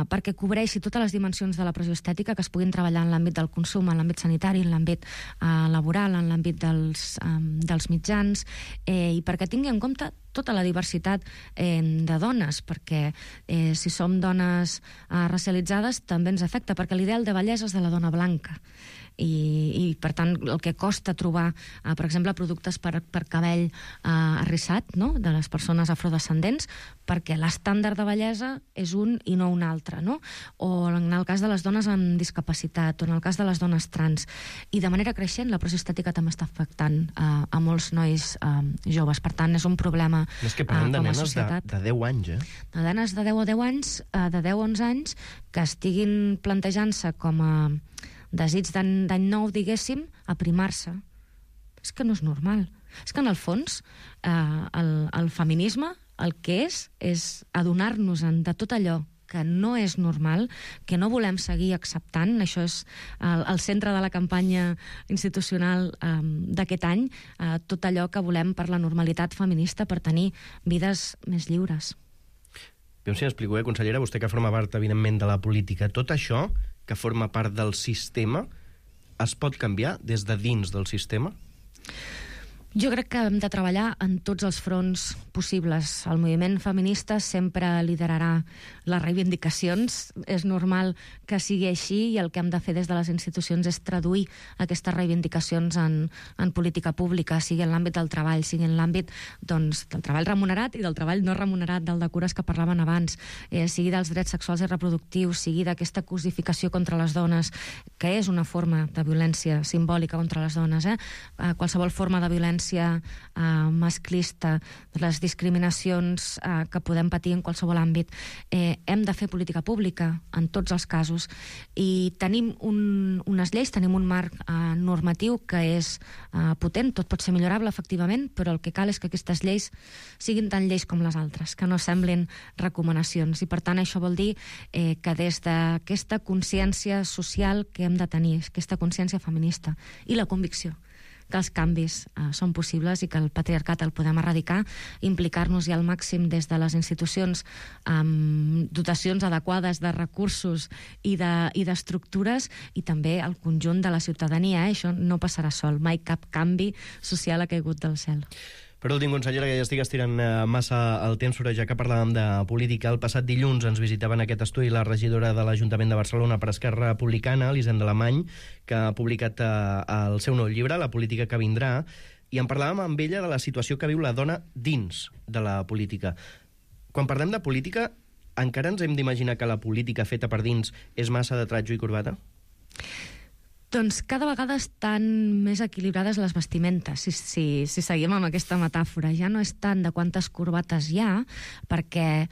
perquè cobreixi totes les dimensions de la pressió estètica que es puguin treballar en l'àmbit del consum, en l'àmbit sanitari, en l'àmbit laboral, en l'àmbit dels mitjans, i perquè tingui en compte tota la diversitat de dones, perquè si som dones racialitzades també ens afecta, perquè l'ideal de bellesa és de la dona blanca. I per tant, el que costa trobar, per exemple, productes per cabell arrissat, de les persones afrodescendents, perquè l'estàndard de bellesa és un i no un altre, o en el cas de les dones amb discapacitat, o en el cas de les dones trans. I de manera creixent, la pressió estètica també està afectant a molts nois joves. Per tant, és un problema com a societat. És que parlem de nenes de 10 anys, De nenes de 10 o 10 anys, de 10 o 11 anys, que estiguin plantejant-se com a desig d'any nou, diguéssim, aprimar-se. És que no és normal. És que, en el fons, el feminisme el que és adonar-nos de tot allò que no és normal, que no volem seguir acceptant. Això és el centre de la campanya institucional d'aquest any, tot allò que volem per la normalitat feminista, per tenir vides més lliures. Jo si m'explico, consellera, vostè que forma part, evidentment, de la política, tot això que forma part del sistema es pot canviar des de dins del sistema? Jo crec que hem de treballar en tots els fronts possibles. El moviment feminista sempre liderarà les reivindicacions. És normal que sigui així i el que hem de fer des de les institucions és traduir aquestes reivindicacions en política pública, sigui en l'àmbit del treball, sigui en l'àmbit del treball remunerat i del treball no remunerat, del de cures que parlaven abans, sigui dels drets sexuals i reproductius, sigui d'aquesta cosificació contra les dones, que és una forma de violència simbòlica contra les dones. Qualsevol forma de violència masclista, les discriminacions que podem patir en qualsevol àmbit. Hem de fer política pública en tots els casos i tenim unes lleis, tenim un marc normatiu que és potent, tot pot ser millorable efectivament, però el que cal és que aquestes lleis siguin tan lleis com les altres, que no semblin recomanacions, i per tant això vol dir que des d'aquesta consciència social que hem de tenir, aquesta consciència feminista i la convicció que els canvis són possibles i que el patriarcat el podem erradicar, implicar-nos-hi al màxim des de les institucions amb dotacions adequades de recursos i d'estructures, i també el conjunt de la ciutadania. Això no passarà sol, mai cap canvi social ha caigut del cel. Per últim, consellera, que ja estic estirant massa el temps, però ja que parlàvem de política, el passat dilluns ens visitava en aquest estudi la regidora de l'Ajuntament de Barcelona per Esquerra Republicana, Elisenda Alemany, que ha publicat el seu nou llibre, La política que vindrà, i en parlàvem amb ella de la situació que viu la dona dins de la política. Quan parlem de política, encara ens hem d'imaginar que la política feta per dins és massa de tratjo i corbata? Doncs cada vegada estan més equilibrades les vestimentes, si seguim amb aquesta metàfora. Ja no és tant de quantes corbates hi ha, perquè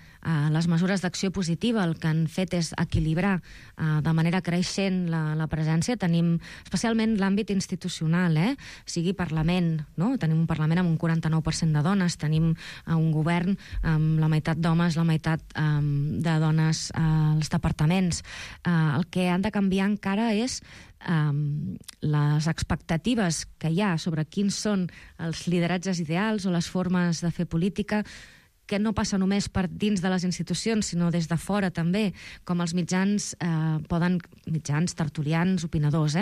les mesures d'acció positiva el que han fet és equilibrar de manera creixent la presència. Tenim especialment l'àmbit institucional, sigui Parlament, no? Tenim un Parlament amb un 49% de dones, tenim un govern amb la meitat d'homes, la meitat de dones als departaments. El que han de canviar encara és les expectatives que hi ha sobre quins són els lideratges ideals o les formes de fer política, que no passa només per dins de les institucions, sinó des de fora també, com els mitjans tertulians, opinadors,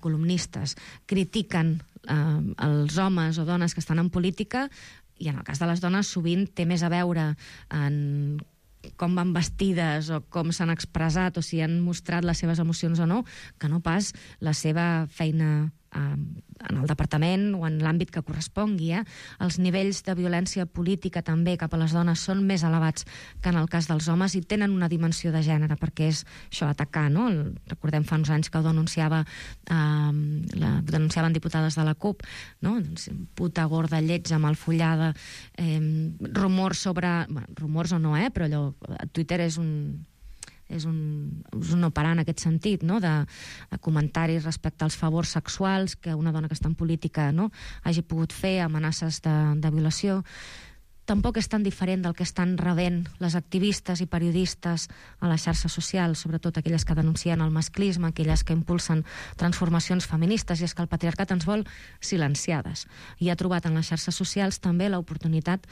columnistes, critiquen els homes o dones que estan en política, i en el cas de les dones sovint té més a veure en com van vestides o com s'han expressat o si han mostrat les seves emocions o no, que no pas la seva feina en el departament o en l'àmbit que correspongui. Els nivells de violència política també cap a les dones són més elevats que en el cas dels homes i tenen una dimensió de gènere, perquè és això, atacar, no? Recordem fa uns anys que ho denunciaven diputades de la CUP, no? Puta, gorda, lletja, malfollada, rumors sobre... rumors o no, però allò, Twitter és un no parar en aquest sentit, no? de comentaris respecte als favors sexuals que una dona que està en política hagi pogut fer, amenaces de violació. Tampoc és tan diferent del que estan rebent les activistes i periodistes a les xarxes socials, sobretot aquelles que denuncien el masclisme, aquelles que impulsen transformacions feministes, i és que el patriarcat ens vol silenciades. I ha trobat en les xarxes socials també l'oportunitat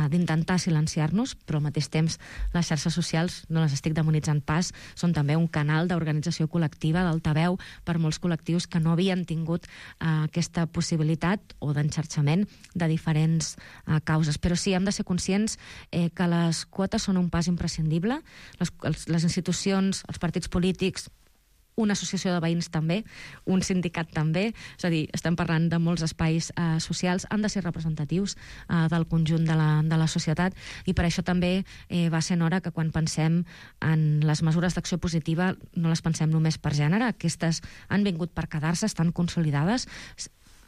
d'intentar silenciar-nos, però al mateix temps les xarxes socials, no les estic demonitzant pas, són també un canal d'organització col·lectiva, d'altaveu per molts col·lectius que no havien tingut aquesta possibilitat o d'enxarxament de diferents causes. Però sí, hem de ser conscients que les quotes són un pas imprescindible. Les institucions, els partits polítics, una associació de veïns també, un sindicat també, és a dir, estem parlant de molts espais socials, han de ser representatius del conjunt de la societat, i per això també va ser hora que quan pensem en les mesures d'acció positiva no les pensem només per gènere. Aquestes han vingut per quedar-se, estan consolidades.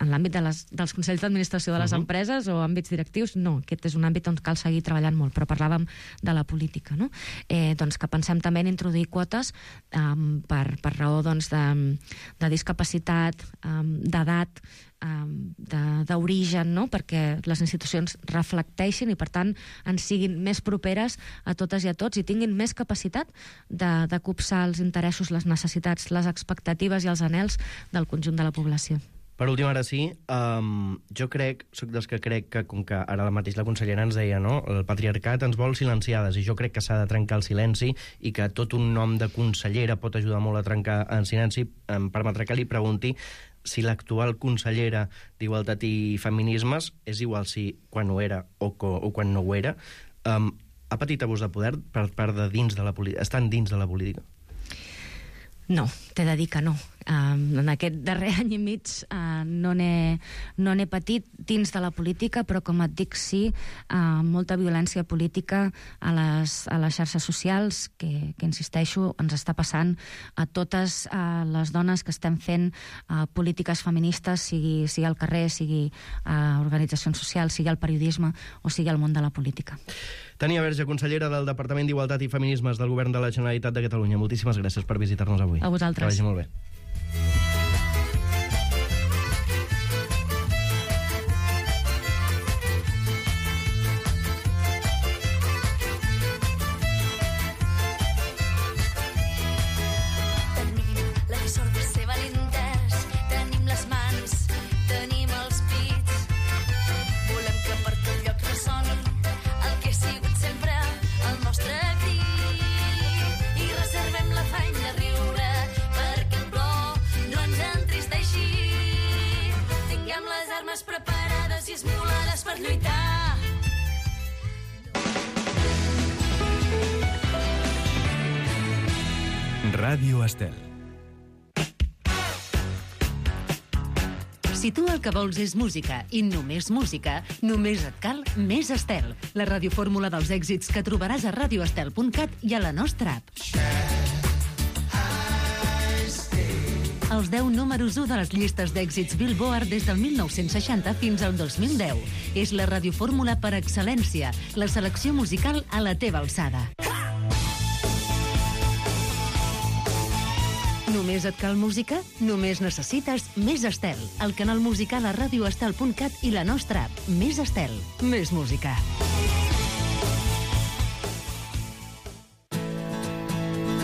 en l'àmbit dels consells d'administració de les empreses o àmbits directius, no, aquest és un àmbit on cal seguir treballant molt, però parlàvem de la política, no? Doncs que pensem també en introduir quotes per raó doncs, de discapacitat, d'edat, d'origen, no? Perquè les institucions reflecteixin i, per tant, ens siguin més properes a totes i a tots i tinguin més capacitat de copsar els interessos, les necessitats, les expectatives i els anhels del conjunt de la població. Per últim, ara sí, jo soc dels que crec que, com que ara mateix la consellera ens deia, no? El patriarcat ens vol silenciades, i jo crec que s'ha de trencar el silenci i que tot un nom de consellera pot ajudar molt a trencar el silenci. Em permetrà que li pregunti si l'actual consellera d'Igualtat i Feminismes és igual si quan ho era o quan no ho era, ha patit abús de poder per part de dins de la política? Estan dins de la política? No, t'he de dir que no. En aquest darrer any i mig no n'he patit dins de la política, però com et dic, sí, molta violència política a les xarxes socials, que insisteixo, ens està passant a totes les dones que estem fent polítiques feministes, sigui al carrer, sigui a organitzacions socials, sigui al periodisme o sigui al món de la política. Tania Verge, consellera del Departament d'Igualtat i Feminismes del Govern de la Generalitat de Catalunya. Moltíssimes gràcies per visitar-nos avui. A vosaltres. Que vagi molt bé. Preparades i esmolades per lluitar. Ràdio Estel. Si tu el que vols és música i només música, només et cal Més Estel, la radiofórmula dels èxits que trobaràs a radioestel.cat i a la nostra app. Els 10 números 1 de les llistes d'èxits Billboard des del 1960 fins al 2010. És la radiofórmula per excel·lència, la selecció musical a la teva alçada. Només et cal música? Només necessites Més Estel, el canal musical a radioestel.cat i la nostra app. Més Estel, més música.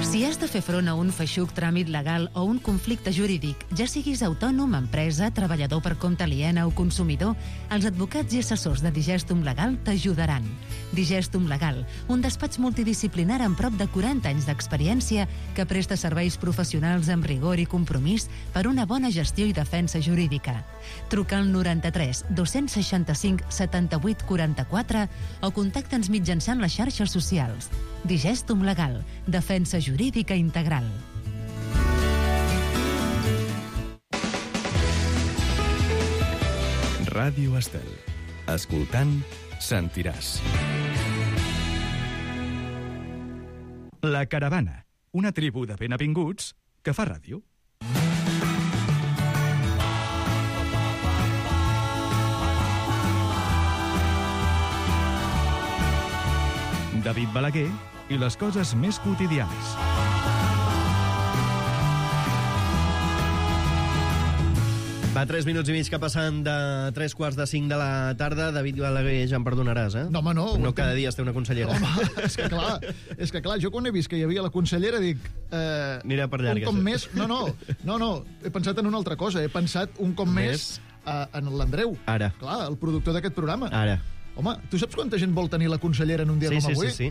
Si has de fer front a un feixuc tràmit legal o un conflicte jurídic, ja siguis autònom, empresa, treballador per compte aliena o consumidor, els advocats i assessors de Digestum Legal t'ajudaran. Digestum Legal, un despatx multidisciplinar amb prop de 40 anys d'experiència que presta serveis professionals amb rigor i compromís per una bona gestió i defensa jurídica. Truca al 93 265 78 44 o contacta'ns mitjançant les xarxes socials. Digestum Legal, defensa jurídica integral. Ràdio Estel. Escoltant, sentiràs. La Caravana, una tribu de ben avinguts que fa ràdio. David Balaguer i les coses més quotidianes. Va, 3 minuts i mig que passen de 3:45 de la tarda. David Balaguer, ja em perdonaràs, eh? No, home, no. No cada dia es té una consellera. Home, és que clar, jo quan he vist que hi havia la consellera dic... Anirà per llarg, un cop això. més... No, he pensat en una altra cosa. He pensat un cop més en l'Andreu. Ara. Clar, el productor d'aquest programa. Ara. Home, tu saps quanta gent vol tenir la consellera en un dia com avui? Sí.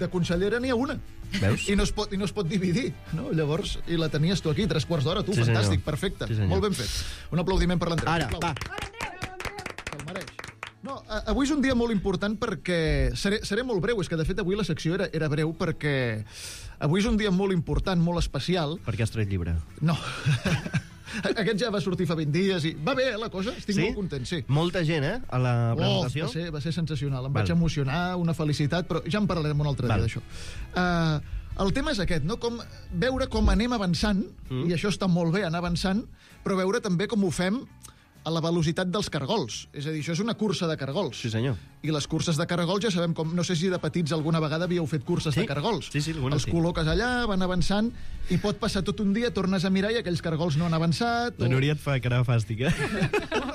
De consellera n'hi ha una. Veus? I no es pot dividir, no? Llavors, i la tenies tu aquí, 3/4 d'hora, tu, Sí, fantàstic, senyor. perfecte. Sí, senyor. Molt ben fet. Un aplaudiment per l'Andreu. Ara, va. Se'l mereix. No, avui és un dia molt important perquè... Seré molt breu, és que de fet avui la secció era breu perquè avui és un dia molt important, molt especial. Per què has tret llibre? No. Aquest ja va sortir fa 20 dies i va bé, la cosa? Estic molt content, sí. Molta gent, a la presentació? Va ser sensacional. Em vaig emocionar, una felicitat, però ja en parlarem un altre dia d'això. El tema és aquest, no? Veure com anem avançant, i això està molt bé, anar avançant, però veure també com ho fem a la velocitat dels cargols. És a dir, això és una cursa de cargols. Sí, senyor. I les curses de cargols ja sabem com... No sé si de petits alguna vegada havíeu fet curses de cargols. Sí, algunes els col·loques allà, van avançant, i pot passar tot un dia, tornes a mirar i aquells cargols no han avançat. La Núria et fa cara fàstica.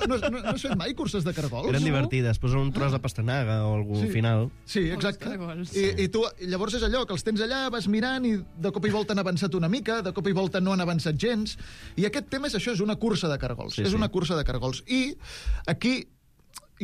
No has fet mai curses de cargols? Eren divertides. Posen un tros de pastanaga o algun final. Sí, exacte. I tu, llavors és allò, que els tens allà, vas mirant i de cop i volta han avançat una mica, de cop i volta no han avançat gens. I aquest tema és això, és una cursa de cargols. És una cursa de cargols. I aquí,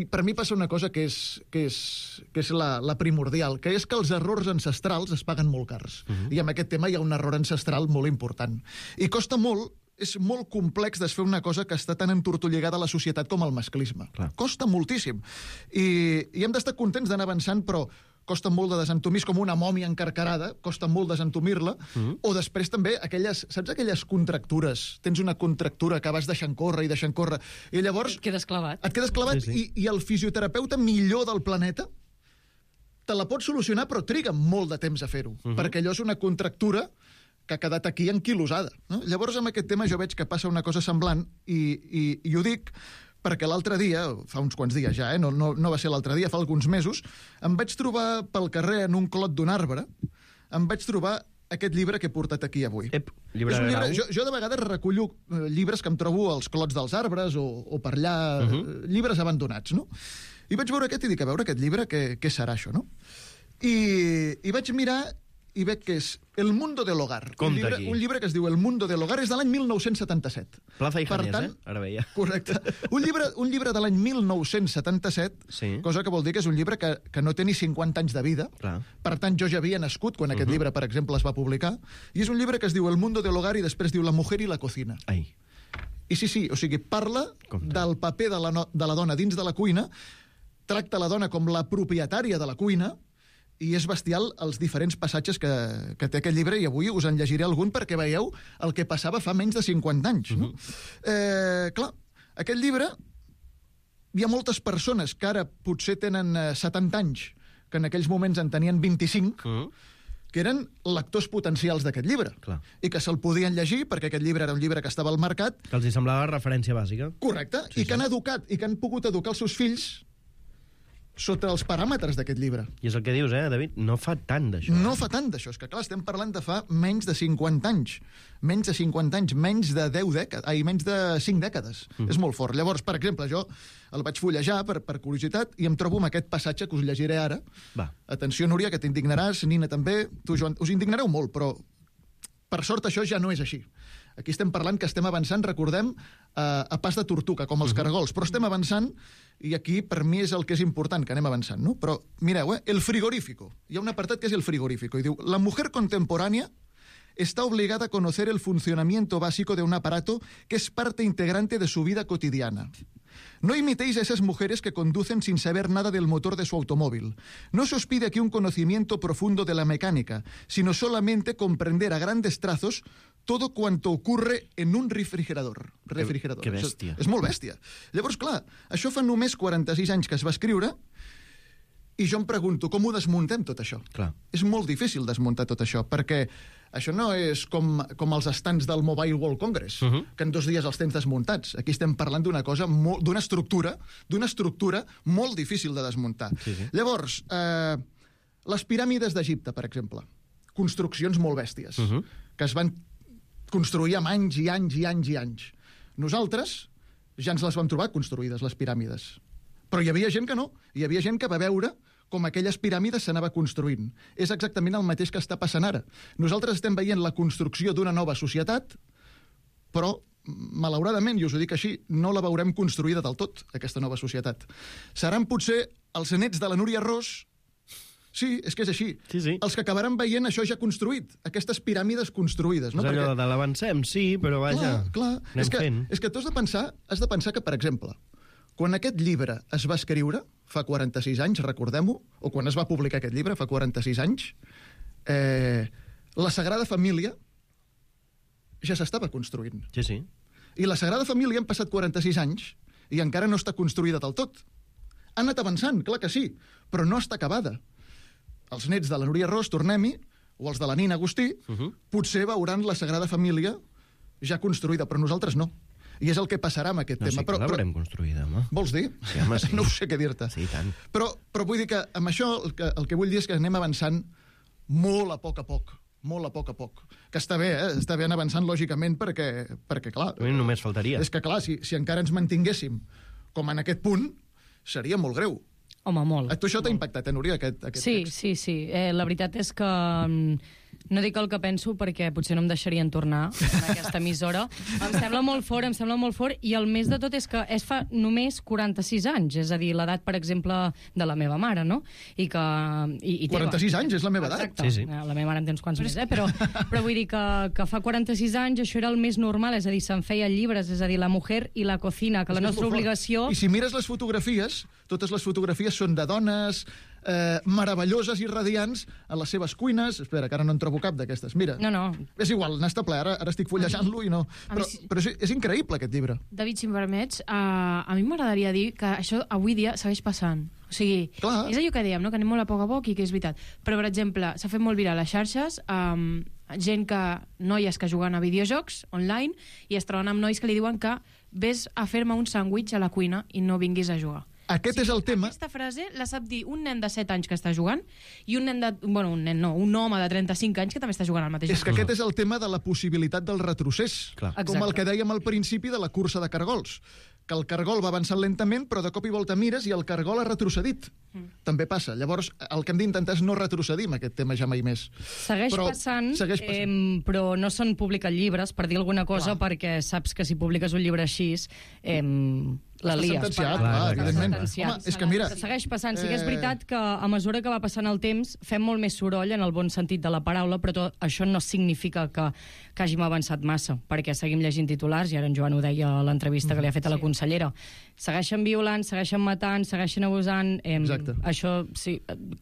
per mi passa una cosa que és la primordial, que és que els errors ancestrals es paguen molt cars. I en aquest tema hi ha un error ancestral molt important. I costa molt, és molt complex desfer una cosa que està tan entortolligada a la societat com el masclisme. Clar. Costa moltíssim. I hem d'estar contents d'anar avançant, però costa molt de desentomir, és com una mòmia encarcarada, costa molt desentomir-la, o després també saps aquelles contractures? Tens una contractura que vas deixant córrer, i llavors... Et quedes clavat. Et quedes clavat, i el fisioterapeuta millor del planeta te la pot solucionar, però triga molt de temps a fer-ho, perquè allò és una contractura que ha quedat aquí anquilosada. No? Llavors, amb aquest tema jo veig que passa una cosa semblant, i ho dic perquè l'altre dia, fa uns quants dies ja, no va ser l'altre dia, fa alguns mesos, em vaig trobar pel carrer en un clot d'un arbre, em vaig trobar aquest llibre que he portat aquí avui. Llibre de grau. Jo de vegades recullo llibres que em trobo als clots dels arbres o per allà, llibres abandonats, no? I vaig veure aquest i dic, a veure aquest llibre, què serà això, no? I vaig mirar i veig que és El mundo del hogar. Un llibre que es diu El mundo del hogar, és de l'any 1977. Plaza i Janies, ara veia. Correcte. Un llibre de l'any 1977, cosa que vol dir que és un llibre que no té ni 50 anys de vida. Clar. Per tant, jo ja havia nascut quan aquest llibre, per exemple, es va publicar. I és un llibre que es diu El mundo del hogar i després diu La mujer y la cocina. Ai. I sí, o sigui, parla del paper de la dona dins de la cuina, tracta la dona com la propietària de la cuina, i és bestial els diferents passatges que té aquest llibre, i avui us en llegiré algun perquè veieu el que passava fa menys de 50 anys. No? Clar, aquest llibre, hi ha moltes persones que ara potser tenen 70 anys, que en aquells moments en tenien 25, que eren lectors potencials d'aquest llibre. Clar. I que se'l podien llegir, perquè aquest llibre era un llibre que estava al mercat. Que els hi semblava referència bàsica. Correcte, i que han educat, i que han pogut educar els seus fills sota els paràmetres d'aquest llibre. I és el que dius, David? No fa tant d'això. No fa tant d'això. És que, clar, estem parlant de fa menys de 50 anys. Menys de 50 anys, menys de 10 dècades, menys de 5 dècades. És molt fort. Llavors, per exemple, jo el vaig fullejar per curiositat i em trobo amb aquest passatge que us llegiré ara. Va. Atenció, Núria, que t'indignaràs, Nina també. Tu, Joan, us indignareu molt, però per sort això ja no és així. Aquí estem parlant que estem avançant, recordem, a pas de tortuga, com els cargols, però estem avançant, i aquí per mi és el que és important, que anem avançant, no? Però mireu, el frigorífico. Hi ha un apartat que és el frigorífico, i diu, la mujer contemporánea está obligada a conocer el funcionamiento básico de un aparato que es parte integrante de su vida cotidiana. No imitéis a esas mujeres que conducen sin saber nada del motor de su automóvil. No se os pide aquí un conocimiento profundo de la mecánica, sino solamente comprender a grandes trazos todo cuanto ocurre en un refrigerador. Que bèstia. És molt bèstia. Llavors, clar, això fa només 46 anys que es va escriure, i jo em pregunto, com ho desmuntem tot això? Clar. És molt difícil desmuntar tot això, perquè això no és com els estants del Mobile World Congress, que en 2 dies els tens desmuntats. Aquí estem parlant d'una cosa, d'una estructura molt difícil de desmuntar. Llavors, les piràmides d'Egipte, per exemple, construccions molt bèsties, que es van construir amb anys i anys i anys i anys. Nosaltres ja ens les vam trobar construïdes, les piràmides. Però hi havia gent que no. Hi havia gent que va veure com aquelles piràmides s'anava construint. És exactament el mateix que està passant ara. Nosaltres estem veient la construcció d'una nova societat, però, malauradament, i us ho dic així, no la veurem construïda del tot, aquesta nova societat. Seran potser els nets de la Núria Ros. Sí, és que és així. Els que acabaran veient això ja construït, aquestes piràmides construïdes. És allò de l'avancem, sí, però vaja, anem fent. És que tu has de pensar que, per exemple, quan aquest llibre es va escriure, fa 46 anys, recordem-ho, o quan es va publicar aquest llibre, fa 46 anys, la Sagrada Família ja s'estava construint. Sí. I la Sagrada Família han passat 46 anys i encara no està construïda del tot. Ha anat avançant, clar que sí, però no està acabada. Els nets de la Núria Ros, tornem-hi, o els de la Nina Agustí, potser veuran la Sagrada Família ja construïda, però nosaltres no. I és el que passarà amb aquest tema. Sí, que l'haurem construïda, home. Vols dir? Sí, home, sí. No ho sé què dir-te. Sí, tant. Però vull dir que amb això el que vull dir és que anem avançant molt a poc a poc. Molt a poc a poc. Que està bé, està bé anar avançant lògicament perquè clar... A mi només faltaria. És que clar, si encara ens mantinguéssim com en aquest punt, seria molt greu. Home, molt. A tu això t'ha impactat, Núria, aquest text? Sí. La veritat és que no dic el que penso perquè potser no em deixarien tornar en aquesta emissora. Em sembla molt fort, i el més de tot és que es fa només 46 anys, és a dir, l'edat, per exemple, de la meva mare, no? I que... 46 anys és la meva edat. Exacte. Sí. La meva mare en tens quants més, però vull dir que fa 46 anys això era el més normal, és a dir, se'n feien llibres, és a dir, La mujer i la cocina, que la nostra obligació... I si mires les fotografies, totes les fotografies són de dones meravelloses i radiants a les seves cuines. Espera, que ara no en trobo cap d'aquestes. Mira, no. És igual, n'està ple, ara estic fullejant-lo i no... Però és increïble, aquest llibre. David, si em permets, a mi m'agradaria dir que això avui dia segueix passant. O sigui, és allò que dèiem, no? Que anem molt a poc i que és veritat. Però, per exemple, s'ha fet molt viral a les xarxes, noies que juguen a videojocs online i es troben amb nois que li diuen que vés a fer-me un sàndwich a la cuina i no vinguis a jugar. Aquest és el tema. Aquesta frase la sap dir un nen de 7 anys que està jugant i un home de 35 anys que també està jugant al mateix joc. És que aquest és el tema de la possibilitat del retrocés. Clar. Com el que dèiem al principi de la cursa de cargols. Que el cargol va avançant lentament, però de cop i volta mires i el cargol ha retrocedit. També passa. Llavors, el que hem d'intentar és no retrocedir amb aquest tema ja mai més. Segueix passant. Però no s'han publicat llibres, per dir alguna cosa, perquè saps que si publiques un llibre així, la lies. Sentenciat, evidentment. Home, és que mira... Segueix passant. Sí que és veritat que a mesura que va passant el temps fem molt més soroll en el bon sentit de la paraula, però això no significa que hàgim avançat massa, perquè seguim llegint titulars, i ara en Joan ho deia a l'entrevista que li ha fet a la consellera. Segueixen violant, segueixen matant, segueixen abusant... Exacte. Això, sí,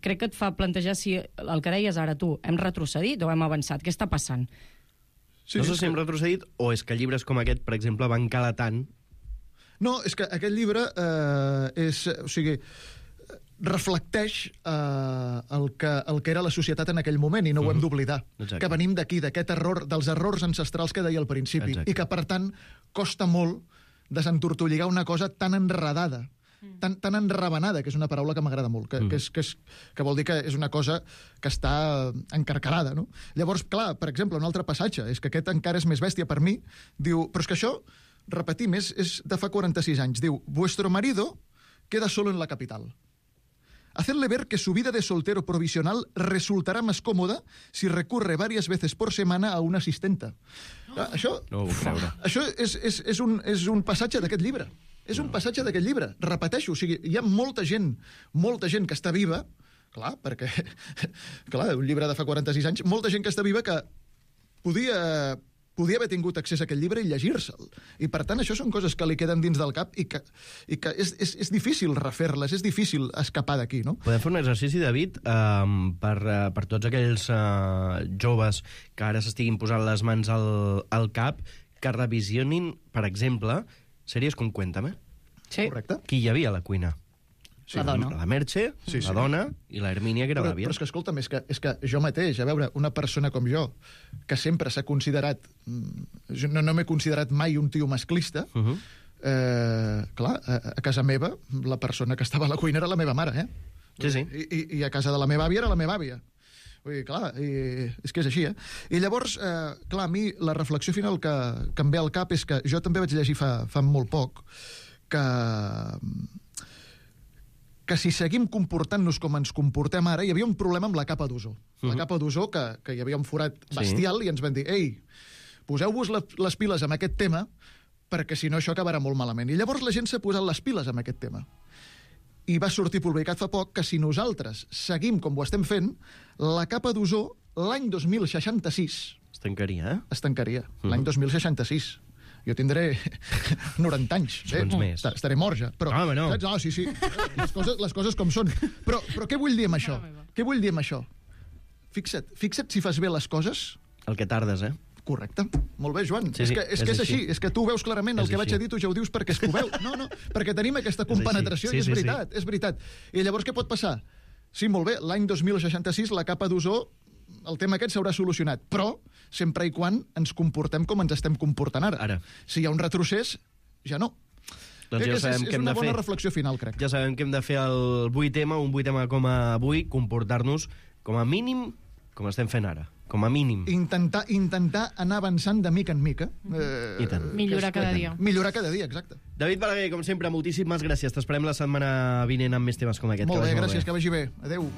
crec que et fa plantejar si el que deies ara tu, hem retrocedit o hem avançat? Què està passant? Sí, no sé si hem retrocedit o és que llibres com aquest, per exemple, van calar tant. No, és que aquest llibre reflecteix el que era la societat en aquell moment, i no ho hem d'oblidar. Que venim d'aquí, d'aquest error, dels errors ancestrals que deia al principi. Exacte. I que, per tant, costa molt desentortolligar una cosa tan enredada, tan enravenada, que és una paraula que m'agrada molt, que vol dir que és una cosa que està encarcarada, no? Llavors, clar, per exemple, un altre passatge, és que aquest encara és més bèstia per mi, diu, però és que això, repetim, és de fa 46 anys, diu, vuestro marido queda solo en la capital. Hacerle ver que su vida de soltero provisional resultará más cómoda si recurre varias veces por semana a una asistenta. Això és un passatge d'aquest llibre. És un passatge d'aquest llibre. Repeteixo, o sigui, hi ha molta gent que està viva, clar, perquè, clar, un llibre de fa 46 anys, molta gent que està viva que podia haver tingut accés a aquest llibre i llegir-se'l. I, per tant, això són coses que li queden dins del cap i que és difícil refer-les, és difícil escapar d'aquí, no? Podem fer un exercici, David, per tots aquells joves que ara s'estiguin posant les mans al cap, que revisionin, per exemple, sèries com Cuéntame. Sí. Correcte. Qui hi havia a la cuina? Sí, la dona. La Merche, la dona i la Hermínia, que era l'àvia. Però és que, escolta'm, és que jo mateix, a veure, una persona com jo, que sempre s'ha considerat... No m'he considerat mai un tio masclista, clar, a casa meva, la persona que estava a la cuina era la meva mare, Sí. I a casa de la meva àvia era la meva àvia. Vull dir, clar, és que és així, I llavors, clar, a mi la reflexió final que em ve al cap és que jo també vaig llegir fa molt poc que si seguim comportant-nos com ens comportem ara, hi havia un problema amb la capa d'ozó. La capa d'ozó, que hi havia un forat bestial, i ens van dir, ei, poseu-vos les piles amb aquest tema, perquè si no això acabarà molt malament. I llavors la gent s'ha posat les piles amb aquest tema. I va sortir publicat fa poc que si nosaltres seguim com ho estem fent, la capa d'ozó l'any 2066... Es tancaria, Es tancaria, l'any 2066. Jo tindré 90 anys. Més. Estaré mort ja. Però, no. No, sí. Les coses com són. Però què vull dir amb això? Què vull dir amb això? Fixa't si fas bé les coses... El que tardes, Correcte. Molt bé, Joan. Sí, és que és així. És que tu ho veus clarament. El que vaig a dir tu ja ho dius perquè és que ho veus. No, perquè tenim aquesta compenetració i és veritat. És veritat. I llavors què pot passar? Sí, molt bé, l'any 2066 la capa d'ozó el tema aquest s'haurà solucionat, però sempre i quan ens comportem com ens estem comportant ara. Si hi ha un retrocés, ja no. Doncs ja sabem què hem de fer. És una bona reflexió final, crec. Ja sabem què hem de fer el 8M, un 8M com avui, comportar-nos com a mínim com estem fent ara, com a mínim. Intentar anar avançant de mica en mica. I tant. Millorar cada dia. Millorar cada dia, exacte. David Balaguer, com sempre, moltíssimes gràcies. T'esperem la setmana vinent amb més temes com aquest. Molt bé, gràcies, que vagi bé. Adéu.